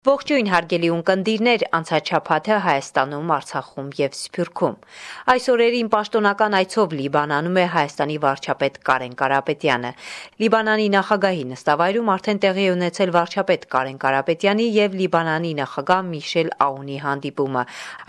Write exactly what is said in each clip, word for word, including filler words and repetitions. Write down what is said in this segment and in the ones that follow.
Ողջույն հարգելի ունկնդիրներ, անցած շաբաթը Հայաստանում, Արցախում եւ Սփյուռքում։ Այս օրերին պաշտոնական այցով Լիբանանում է Հայաստանի վարչապետ Կարեն Կարապետյանը։ Լիբանանի նախագահի նստավայրում արդեն տեղի է ունեցել վարչապետ Կարեն Կարապետյանի եւ Լիբանանի նախագահ Միշել Աունի հանդիպումը։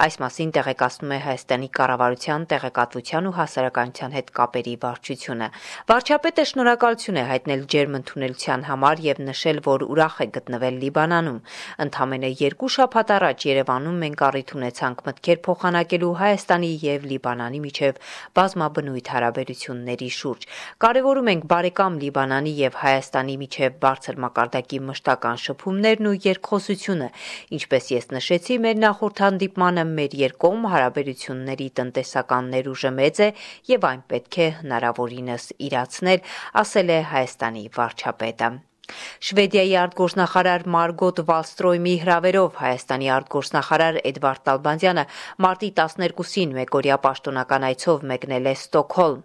Այս մասին տեղեկացնում է Հայաստանի կառավարության տեղեկատվության ու հասարակայնության հետ կապերի վարչությունը։ Վարչապետը շնորհակալություն է հայտնել ջերմ ընդունելության համար եւ նշել, որ ուրախ է գտնվել Լիբանանում։ Ընդամենը երկու շաբաթ առաջ Երևանում մենք առիթ ունեցանք մտքեր փոխանակելու Հայաստանի եւ Լիբանանի միջև բազմաբնույթ հարաբերությունների շուրջ։ Կարևորում ենք բարեկամ Լիբանանի եւ Հայաստանի միջև բարձր մակարդակի մշտական շփումներն ու երկխոսությունը, ինչպես ես նշեցի մեր նախորդ հանդիպմանը, մեր երկկողմ հարաբերությունների տնտեսական ներուժը մեծ է եւ այն պետք է հնարավորինս իրացնել, ասել է Հայաստանի վարչապետը։ Շվեդիայի արտգործնախարար Մարգոտ Վալստրոյմի հրավերով Հայաստանի արտգործնախարար Էդվարդ Նալբանդյանը մարտի տասներկուսին մեկօրյա պաշտոնական այցով մեկնել է Ստոկհոլմ։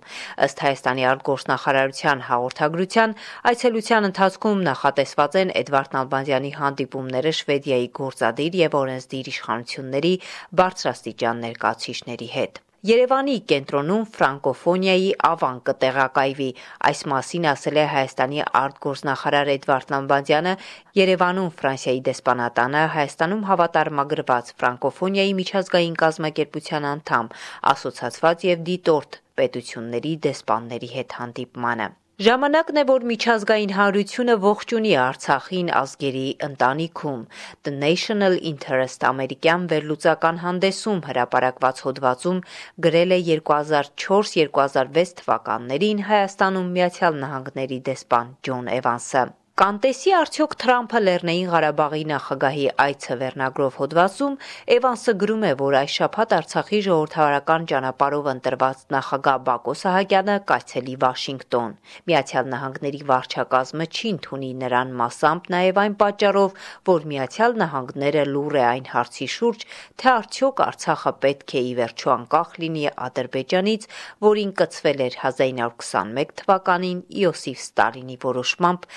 Ըստ Հայաստանի արտգործնախարարության հաղորդագրության, այցելության ընթացքում նախատեսված են Էդվարդ Նալբանդյանի հանդիպումները Շվեդիայի գործադիր եւ օրենսդիր իշխանությունների բարձրաստիճան ներկայացուցիչների հետ։ Երևանի կենտրոնում ֆրանկոֆոնիայի ավան կտեղակայվի, այս մասին ասել է Հայաստանի արտգործնախարար Էդվարդ Նալբանդյանը Երևանում Ֆրանսիայի դեսպանատանը Հայաստանում հավատարմագրված ֆրանկոֆոնիայի միջազգային կազմակերպության անդամ, ասոցացված եւ դիտորդ պետությունների դեսպանների հետ հանդիպմանը։ Ժամանակն է, որ միջազգային հանրությունը ողջունի Արցախին ազգերի ընտանիքում։ The National Interest ամերիկյան վերլուծական հանդեսում հրապարակված հոդվածում գրել է երկու հազար չորս երկու հազար վեց թվականներին Հայաստանում Միացյալ Նահանգների դեսպան Ջոն Էվանսը։ Կանտեսի արդյոք Թրամփը Լեռնային Ղարաբաղի նախագահի այցը վերնագրով հոդվածում Էվանսը գրում է, որ այս շաբաթ Արցախի ժողովրդավարական ճանապարհով ընտրված նախագահ Բակո Սահակյանը կայցելի Վաշինգտոն։ Միացյալ Նահանգների վարչակազմը չի ընդունի նրան մասամբ նաև այն պատճառով, որ Միացյալ Նահանգները լուռ է այն հարցի շուրջ, թե արդյոք Արցախը պետք է ի վերջո անկախ լինի Ադրբեջանից, որին կցվել էր հազար ինը հարյուր քսանմեկ թվականին Իոսիֆ Ստալինի որոշմամբ,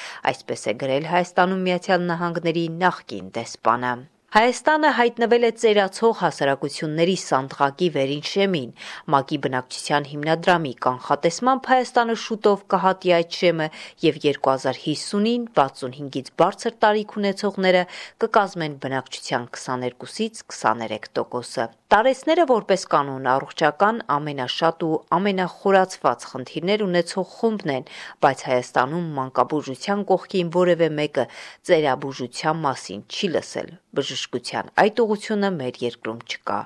այսպես է գրել Հայաստանում Միացյալ Նահանգների նախկին դեսպանը։ Հայաստանը հայտնվել է ծերացող հասարակությունների սանդղակի վերին շեմին։ ՄԱԿ-ի բնակչության հիմնադրամի կանխատեսմամբ Հայաստանը շուտով կհատի այդ շեմը եւ երկու հազար հիսունին վաթսունհինգից բարձր տարիք ունեցողները կկազմեն բնակչության քսաներկուսից քսաներեք տոկոսը։ Տարեցները որպես կանոն առողջական ամենաշատ ու ամենախորացված խնդիրներ ունեցող խումբն են, բայց Հայաստանում մանկաբուժության կողքին որևէ մեկը ծերաբուժության մասին չի լսել։ Բժշկության այդ ուղղությունը մեր երկրում չկա։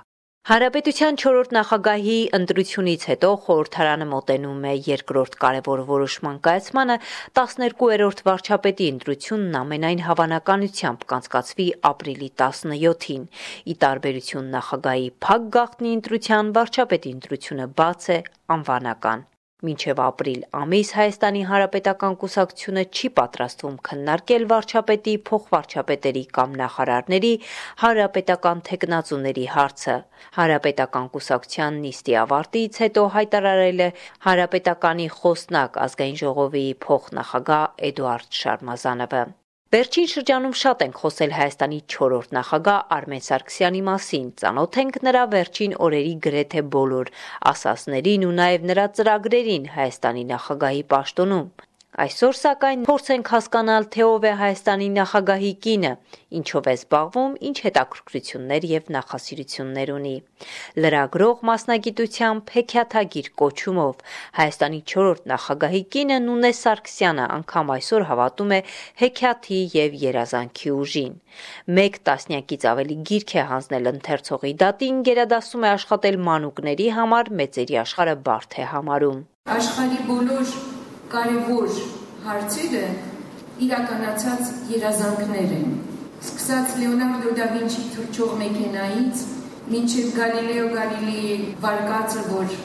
Հանրապետության չորրորդ նախագահի ընտրությունից հետո խորհրդարանը մոտենում է երկրորդ կարևոր որոշման կայացմանը, տասներկուերորդ վարչապետի ընտրությունն ամենայն հավանականությամբ կանցկացվի ապրիլի տասնյոթին։ Ի տարբերություն նախագահի փակ գաղտնի ընտրության, վարչապետի ընտրությունը բաց է, անվանական։ Մինչև ապրիլ ամիս Հայաստանի Հանրապետական կուսակցությունը չի պատրաստվում քննարկել վարչապետի, փոխվարչապետերի կամ նախարարների հանրապետական թեկնածուների հարցը։ Հանրապետական կուսակցության նիստի ավարտից հետո հայտարարել է Հանրապետականի խոսնակ ազգային ժողովի փոխնախագահ Էդուարդ Շարմազանովը։ Վերջին շրջանում շատ ենք խոսել Հայաստանի չորրորդ նախագահ Արմեն Սարգսյանի մասին, ծանոթ ենք նրա վերջին օրերի գրեթե բոլոր ասածներին ու նաև նրա ծրագրերին Հայաստանի նախագահի պաշտոնում։ Այսօր սակայն փորձ ենք հասկանալ, թե ով է Հայաստանի նախագահի կինը, ինչով է զբաղվում, ինչ հետաքրքրություններ եւ նախասիրություններ ունի։ Լրագրող մասնագիտությամբ հեքիաթագիր կոչումով Հայաստանի չորրորդ նախագահի կինը Նունե Սարգսյանը անգամ այսօր հավատում է հեքիաթի եւ երազանքի ուժին։ Մեկ տասնյակից ավելի գիրք է հանձնել ընթերցողի դատին, գերադասում է աշխատել մանուկների համար, մեծերի աշխարհը բարդ է համարում։ Աշխարհի բոլոր կարևոր հարցերը իրականացած երազանքներ են։ Սկսած Լեոնարդո դա Վինչի թռչող մեքենայից, մինչև Գալիլեո Գալիլեի վարկածը, որ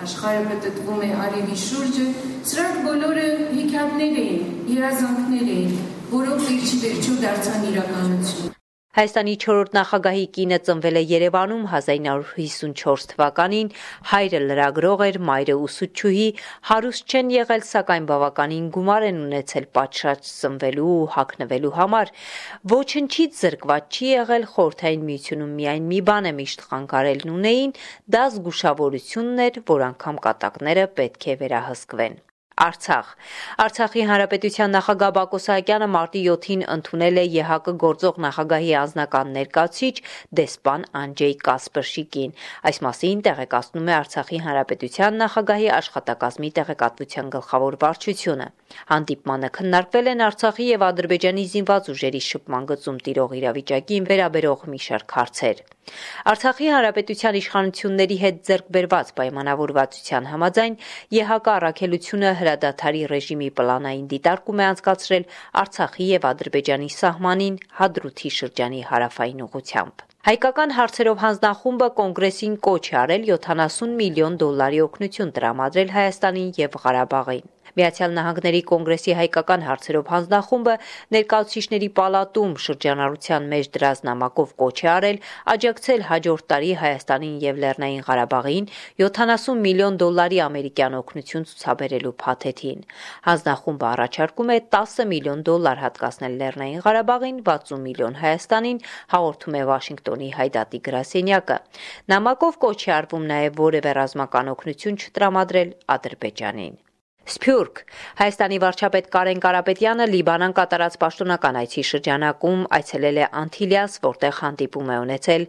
աշխարհը պտտվում է արևի շուրջը, սրանք բոլորը հեքիաթներ էին, երազանքներ էին, որոնք վերջի վերջո դարձան իրականություն։ Հայաստանի չորրորդ նախագահի կինը ծնվել է Երևանում հազար ինը հարյուր հիսունչորս թվականին, հայրը լրագրող էր, մայրը ուսուցչուհի, հարուստ չեն եղել, սակայն բավականին գումար են ունեցել պատշաճ սնվելու ու հագնվելու համար։ Ոչնչից զրկված չի եղել, Խորհրդային Միությունում միայն մի բան է միշտ խանգարելն ունեին, դա զգուշավորությունն էր, որ անգամ կատակները պետք է վերահսկվեն։ Արցախ Արցախի Հանրապետության նախագահ Բակո Սահակյանը մարտի յոթին ընդունել է ԵՀԿ գործող նախագահի անձնական ներկայացուցիչ դեսպան Անջեյ Կասպրշիկին։ Այս մասին տեղեկացնում է Արցախի Հանրապետության նախագահի աշխատակազմի տեղեկատվության գլխավոր վարչությունը։ Հանդիպմանը քննարկվել են Արցախի եւ Ադրբեջանի զինված ուժերի շփման գծում տիրող իրավիճակին վերաբերող մի շարք հարցեր։ Արցախի Հանրապետության իշխանությունների հետ ձեռք բերված պայմանավորվածության համաձայն ԵՀԿ առաքելությունը հրադադարի ռեժիմի պլանային դիտարկում է անցկացրել Արցախի եւ Ադրբեջանի սահմանին Հադրութի շրջանի հարավային ուղղությամբ։ Հայկական հարցերով հանձնախումբը կոնգրեսին կոչ է արել յոթանասուն միլիոն դոլարի օգնություն տրամադրել Հայաստանին եւ Ղարաբաղին։ Միացյալ Նահանգների կոնգրեսի հայկական հարցերով հանձնախումբը ներկայացուցիչների պալատում շրջանառության մեջ դրած նամակով կոչ է արել աջակցել հաջորդ տարի Հայաստանին եւ Լեռնային Ղարաբաղին յոթանասուն միլիոն դոլարի ամերիկյան օգնություն ցուցաբերելու փաթեթին։ Հանձնախումբը առաջարկում է տասը միլիոն դոլար հատկացնել Լեռնային Ղարաբաղին, վաթսուն միլիոն Հայաստանին, հաղորդում է Վաշինգտոնի Հայդատի գրասենյակը։ Նամակով կոչ է արվում նաեւ որևէ ռազմական օգնություն չտրամադրել Ադրբեջանին։ Սփյուռք Հայաստանի վարչապետ Կարեն Կարապետյանը Լիբանան կատարած պաշտոնական այցի շրջանակում այցելել է Անտիլիաս, որտեղ հանդիպում է ունեցել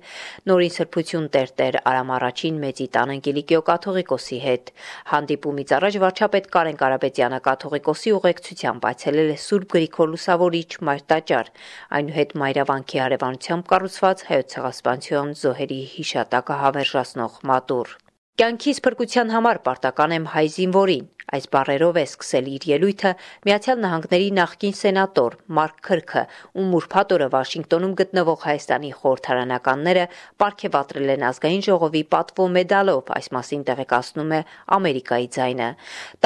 Նորին Սրբություն Տեր-Տեր Արամ առաջին Մեծի տան Անգելիկիո կաթողիկոսի հետ։ Հանդիպումից առաջ վարչապետ Կարեն Կարապետյանը կաթողիկոսի ուղեկցությամբ այցելել է Սուրբ Գրիգոր Լուսավորիչ մայր տաճար, այնուհետ Մայրավանքի հարևանությամբ կառուցված Հայոց ցեղասպանության զոհերի հիշատակը հավերժացնող մատուռ։ Կյանքիս փրկության համար պարտական եմ հայ զինվորին։ Այս բառերով է սկսել իր ելույթը Միացյալ Նահանգների նախկին սենատոր Մարկ Քրքը, ում ուրբաթ օրը Վաշինգտոնում գտնվող Հայաստանի խորհրդարանականները պարգևատրել են ազգային ժողովի պատվո մեդալով, այս մասին տեղեկացնում է Ամերիկայի ձայնը։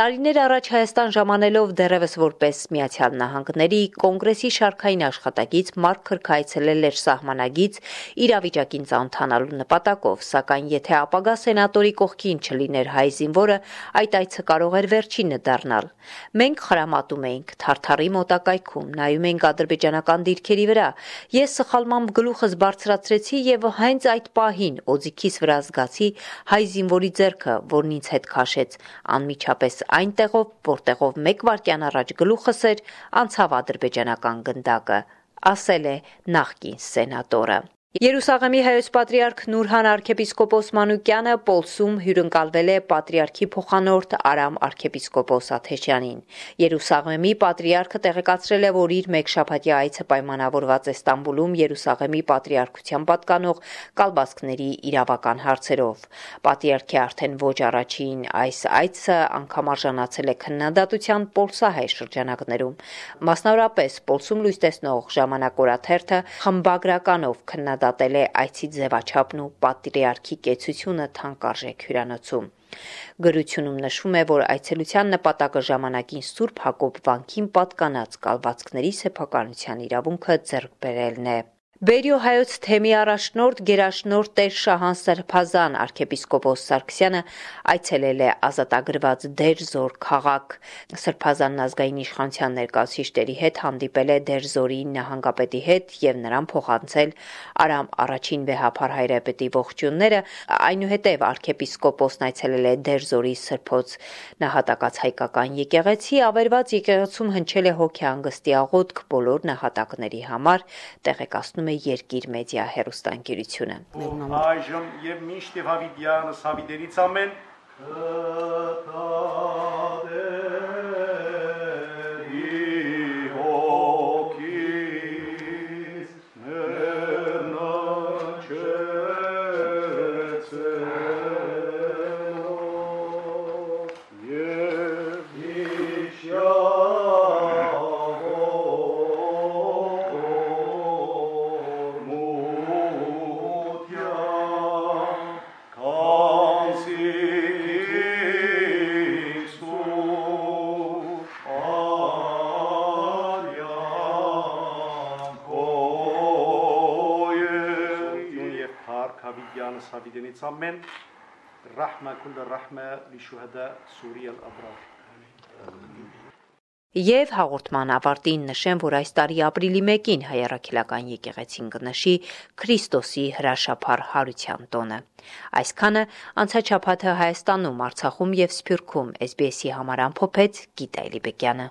Տարիներ առաջ Հայաստան ժամանելով դեռևս որպես Միացյալ Նահանգների կոնգրեսի շարքային աշխատակից Մարկ Քրքը այցելել էր սահմանագից իրավիճակին ծանոթանալու նպատակով, սակայն եթե ապագա սենատորի կողքին չլիներ հայ զինվորը, այդ այցը կարող էր վերջինը դառնալ։ Մենք խրամատում էինք Թարթարի մոտակայքում, նայում էինք ադրբեջանական դիրքերի վրա։ Ես սխալմամբ գլուխս բարձրացրեցի եւ հենց այդ պահին օձիքիս վրա զգացի հայ զինվորի ձեռքը, որն ինձ հետ քաշեց, անմիջապես այնտեղով, որտեղով մեկ վայրկյան առաջ գլուխս էր, անցավ ադրբեջանական գնդակը, ասել է նախկին սենատորը։ Երուսաղեմի հայոց պատրիարք Նուրհան arczepiskopos Մանուկյանը Պոլսում հյուրընկալվել է պատրիարքի փոխանորդ Արամ arczepiskopos Աթեշյանին։ Երուսաղեմի պատրիարքը տեղեկացրել է, որ իր մեկշաբաթյա այցը պայմանավորված է Ստամբուլում Երուսաղեմի պատրիարքության պատկանող կալվածքների իրավական հարցերով։ Պատրիարքի արդեն ոչ առաջին այս այցը անգամ արժանացել է քննադատության պոլսահայ շրջանակներում։ Մասնավորապես Պոլսում լույս տեսնող Ժամանակ օրաթերթը խմբագրականով քննադատել դատել է այցի ձևաչափն ու պատրիարքի կեցությունը թանկարժեք հյուրանոցում։ Գրությունում նշվում է, որ այցելության նպատակը ժամանակին Սուրբ Հակոբ վանքին պատկանած կալվածքների սեփականության իրավունքը ձեռք բերելն է։ Բերիո հայոց թեմի առաջնորդ գերաշնորհ Տեր Շահան Սրբազան arczepiskopos Սարգսյանը այցելել է ազատագրված Դերձոր քաղաք։ Սրբազանն ազգային իշխանության ներկայացուցիչների հետ հանդիպել է Դերձորի նահանգապետի հետ եւ նրան փոխանցել Արամ առաջին վեհափար հայրապետի ողջույնները, այնուհետև arczepiskopos-ն այցելել է Դերձորի Սրբոց նահատակած հայկական եկեղեցի, ավերված եկեղեցում հնչել է հոգեհանգստի աղոթք բոլոր նահատակների համար, տեղեկացնում է Երկիր մեդիա հեռուստաընկերությունը։ Այժմ եւ միշտ եւ հավիտյանս հավիտերից ամեն Հավիդյանը Սավիդենից ամեն ռահմա քուլ ռահմա լիշուհադա Սուրիա al-Abrar Եվ հաղորդման ավարտին նշեմ, որ այս տարի ապրիլի մեկին Հայ առաքելական եկեղեցին կնշի Քրիստոսի հրաշափառ հարության տոնը։ Այսքանը անցած շաբաթը Հայաստանում, Արցախում եւ Սփյուռքում էս բի էսի համար ամփոփեց Գիտա Էլիբեկյանը։